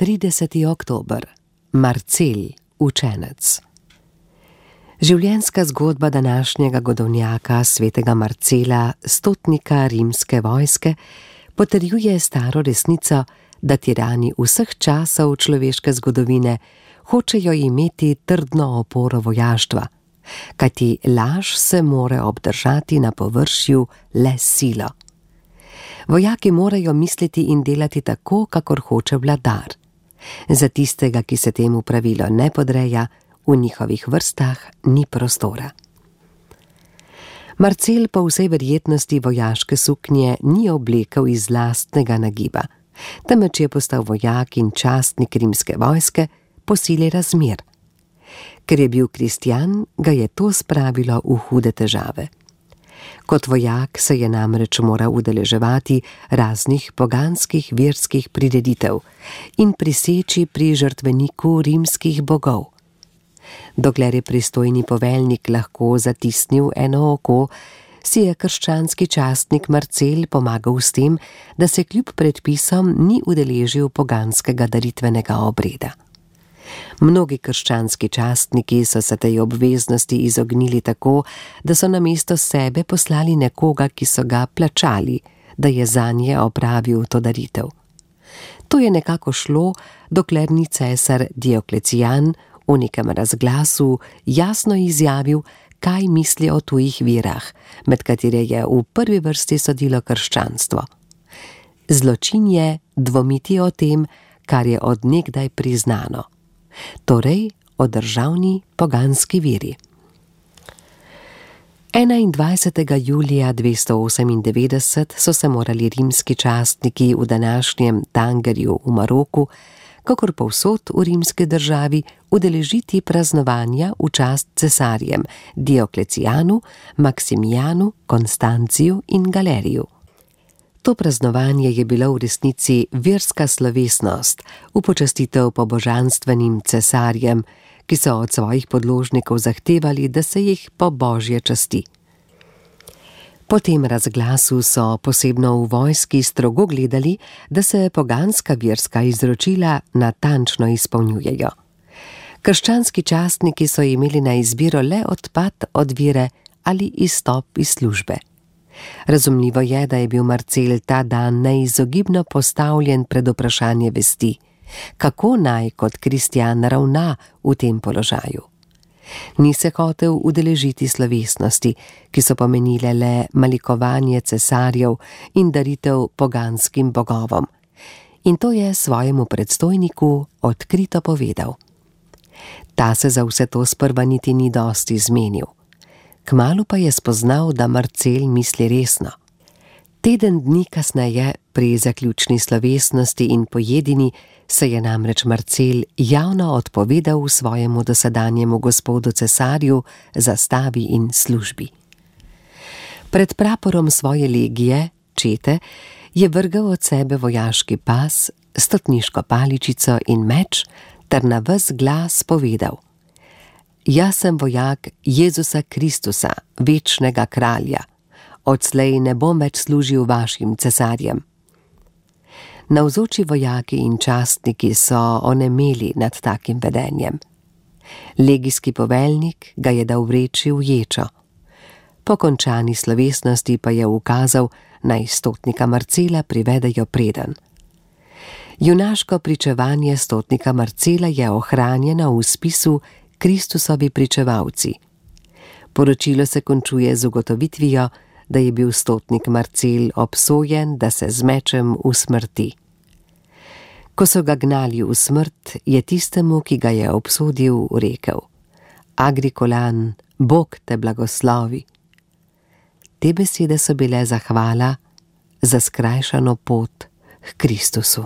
30. oktober. Marcel, učenec. Življenjska zgodba današnjega godovnjaka svetega Marcela, stotnika rimske vojske, potrjuje staro resnico, da tirani vseh časov človeške zgodovine hočejo imeti trdno oporo vojaštva, kajti laž se more obdržati na površju le s silo. Vojaki morajo misliti in delati tako, kakor hoče vladar. Za tistega, ki se temu pravilo ne podreja, v njihovih vrstah ni prostora. Marcel po vsej verjetnosti vojaške suknje ni oblekel iz lastnega nagiba, temveč je postal vojak in častnik rimske vojske po sili razmer. Ker je bil kristjan, ga je to spravilo v hude težave. Kot vojak se je namreč moral udeleževati raznih poganskih verskih prireditev in priseči pri žrtveniku rimskih bogov. Dokler je pristojni poveljnik lahko zatisnil eno oko, si je krščanski častnik Marcel pomagal s tem, da se kljub predpisom ni udeležil poganskega daritvenega obreda. Mnogi krščanski častniki so se tej obveznosti izognili tako, da so namesto sebe poslali nekoga, ki so ga plačali, da je zanje opravil to daritev. To je nekako šlo, dokler ni cesar Dioklecijan v nekem razglasu jasno izjavil, kaj misli o tujih virah, med katere je v prvi vrsti sodilo krščanstvo. Zločin je dvomiti o tem, kar je od nekdaj priznano. Torej o državni poganski veri. 21. julija 298 so se morali rimski častniki v današnjem Tangerju v Maroku, kakor povsod v rimski državi, udeležiti praznovanja v čast cesarjem Dioklecijanu, Maksimijanu, Konstanciju in Galeriju. To praznovanje je bilo v resnici verska slovesnost v počastitev pobožanstvenim cesarjem, ki so od svojih podložnikov zahtevali, da se jih po božje časti. Po tem razglasu so posebno v vojski strogo gledali, da se poganska verska izročila natančno izpolnjujejo. Krščanski častniki so imeli na izbiro le odpad od vere ali izstop iz službe. Razumljivo je, da je bil Marcel ta dan neizogibno postavljen pred vprašanje vesti, kako naj kot kristjan ravna v tem položaju. Ni se hotel udeležiti slovesnosti, ki so pomenile le malikovanje cesarjev in daritev poganskim bogovom, in to je svojemu predstojniku odkrito povedal. Ta se za vse to sprva niti ni dosti zmenil. Kmalu pa je spoznal, da Marcel misli resno. Teden dni kasneje, pri zaključni slovesnosti in pojedini, se je namreč Marcel javno odpovedal svojemu dosedanjemu gospodu cesarju, zastavi in službi. Pred praporom svoje legije, čete, je vrgel od sebe vojaški pas, stotniško paličico in meč ter na ves glas povedal: Jaz sem vojak Jezusa Kristusa, večnega kralja. Odslej ne bom več služil vašim cesarjem. Navzoči vojaki in častniki so onemeli nad takim vedenjem. Legijski poveljnik ga je dal vreči v ječo. Po končani slovesnosti pa je ukazal, naj stotnika Marcela privedejo predenj. Junaško pričevanje stotnika Marcela je ohranjeno v spisu Kristusovi pričevalci. Poročilo se končuje z ugotovitvijo, da je bil stotnik Marcel obsojen, da se z mečem usmrti. Ko so ga gnali v smrt, je tistemu, ki ga je obsodil, rekel: Agrikolan, Bog te blagoslovi. Te besede so bile zahvala za skrajšano pot k Kristusu.